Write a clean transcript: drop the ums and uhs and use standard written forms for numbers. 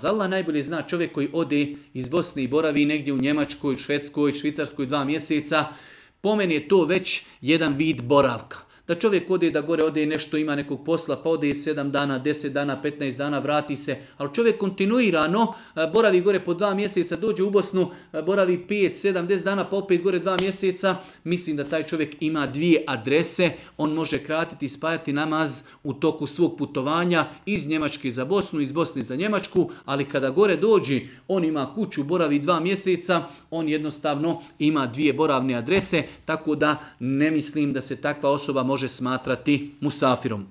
Allah najbolje zna, čovjek koji ode iz Bosne i boravi negdje u Njemačkoj, Švedskoj, Švicarskoj 2 mjeseca, po meni je to već jedan vid boravka. Da čovjek ode da gore ode nešto, ima nekog posla, pa ode 7 dana, 10 dana, 15 dana, vrati se. Ali čovjek kontinuirano boravi gore po 2 mjeseca, dođe u Bosnu, boravi 5, 7, 10 dana, pa opet gore 2 mjeseca. Mislim da taj čovjek ima 2 adrese, on može kratiti i spajati namaz u toku svog putovanja iz Njemačke za Bosnu, iz Bosne za Njemačku, ali kada gore dođe, on ima kuću, boravi 2 mjeseca, on jednostavno ima 2 boravne adrese, tako da ne mislim da se takva osoba može smatrati musafirom.